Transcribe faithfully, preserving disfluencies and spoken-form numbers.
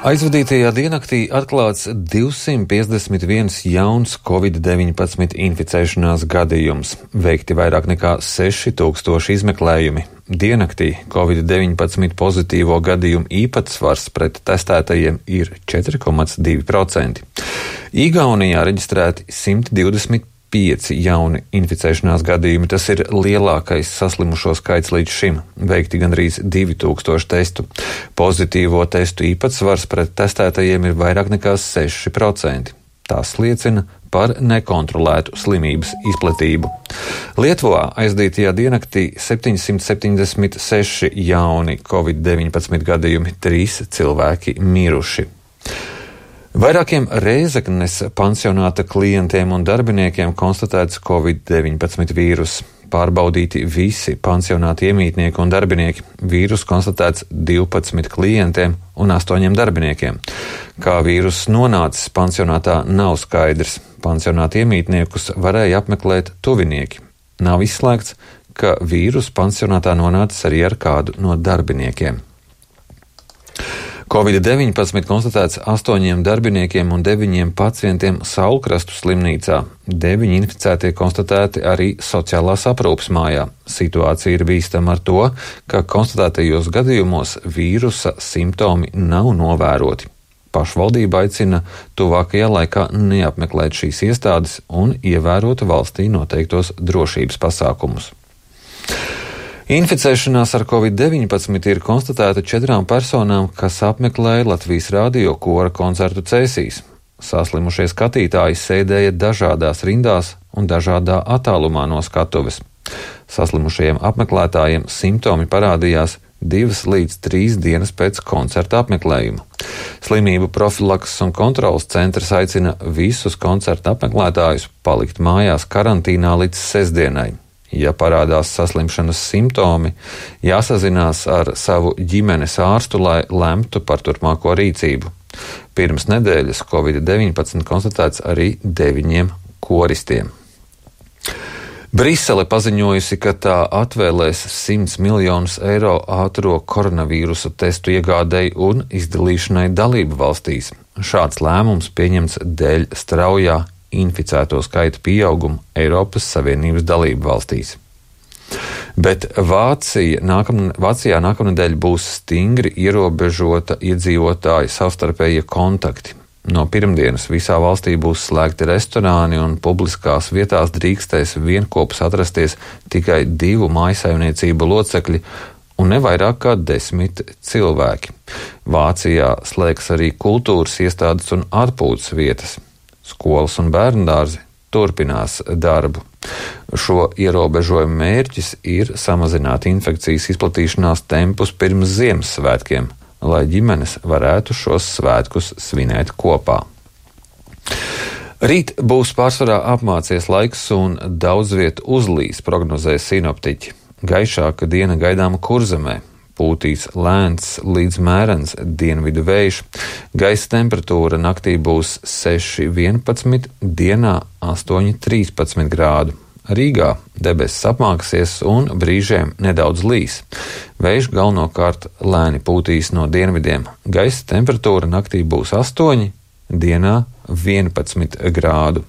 Aizvadītajā diennaktī atklāts divsimt piecdesmit viens jauns covid deviņpadsmit inficēšanās gadījums, veikti vairāk nekā seši tūkstoši izmeklējumi. Diennaktī covid deviņpadsmit pozitīvo gadījumu īpatsvars pret testētajiem ir četri komats divi procenti. Igaunijā reģistrēti simt divdesmit pieci jauni inficēšanās gadījumi. Tas ir lielākais saslimušo skaits līdz šim, veikti gandrīz divi tūkstoši testu. Pozitīvo testu īpatsvars pret testētajiem ir vairāk nekā seši procenti. Tas liecina par nekontrolētu slimības izplatību. Lietuvā aizdītajā diennaktī septiņsimt septiņdesmit seši jauni covid deviņpadsmit gadījumi, trīs cilvēki miruši. Vairākiem Rēzeknes pansionāta klientiem un darbiniekiem konstatēts covid deviņpadsmit vīrus. Pārbaudīti visi pansionāta iemītnieki un darbinieki. Vīrus konstatēts divpadsmit klientiem un astoņiem darbiniekiem. Kā vīrus nonācis pansionātā, nav skaidrs. Pansionāta iemītniekus varēja apmeklēt tuvinieki. Nav izslēgts, ka vīrus pansionātā nonācis arī ar kādu no darbiniekiem. covid deviņpadsmit konstatēts astoņiem darbiniekiem un deviņiem pacientiem Saulkrastu slimnīcā. Deviņi inficētie konstatēti arī sociālās aprūpes mājā. Situācija ir bīstama ar to, ka konstatētajos gadījumos vīrusa simptomi nav novēroti. Pašvaldība aicina tuvākajā laikā neapmeklēt šīs iestādes un ievērot valstī noteiktos drošības pasākumus. Inficēšanās ar covid deviņpadsmit ir konstatēta četrām personām, kas apmeklēja Latvijas Rādio kora koncertu Cēsīs. Saslimušie skatītāji sēdēja dažādās rindās un dažādā attālumā no skatuves. Saslimušajiem apmeklētājiem simptomi parādījās divas līdz trīs dienas pēc koncerta apmeklējuma. Slimību profilakses un kontrolas centrs aicina visus koncerta apmeklētājus palikt mājās karantīnā līdz sestdienai. Ja parādās saslimšanas simptomi, jāsazinās ar savu ģimenes ārstu, lai lemtu par turpmāko rīcību. Pirms nedēļas covid deviņpadsmit konstatēts arī deviņiem koristiem. Brisele paziņojusi, ka tā atvēlēs simts miljonus eiro ātro koronavīrusa testu iegādei un izdalīšanai dalību valstīs. Šāds lēmums pieņemts dēļ straujā inficēto skaita pieaugumu Eiropas Savienības dalību valstīs. Bet Vācija nākam, Vācijā nākamnedēļ būs stingri ierobežota iedzīvotāju savstarpējie kontakti. No pirmdienas visā valstī būs slēgti restorāni un publiskās vietās drīkstēs vienkopus atrasties tikai divu mājsaimniecību locekļi un ne vairāk kā desmit cilvēki. Vācijā slēgs arī kultūras iestādes un atpūtas vietas. Skolas un bērndārzi turpinās darbu. Šo ierobežojumu mērķis ir samazināt infekcijas izplatīšanās tempus pirms Ziemassvētkiem, lai ģimenes varētu šos svētkus svinēt kopā. Rīt būs pārsvarā apmācies laiks un daudz vietu uzlīs, prognozē sinoptiķi. Gaišāka diena gaidāma Kurzemē. Pūtīs lēns līdz mērens dienvidu vējš. Gaisa temperatūra naktī būs seši vienpadsmit, dienā astoņi trīspadsmit grādu. Rīgā debesis apmāksies un brīžiem nedaudz līs. Vējš galvenokārt lēni pūtīs no dienvidiem. Gaisa temperatūra naktī būs astoņi, dienā vienpadsmit grādu.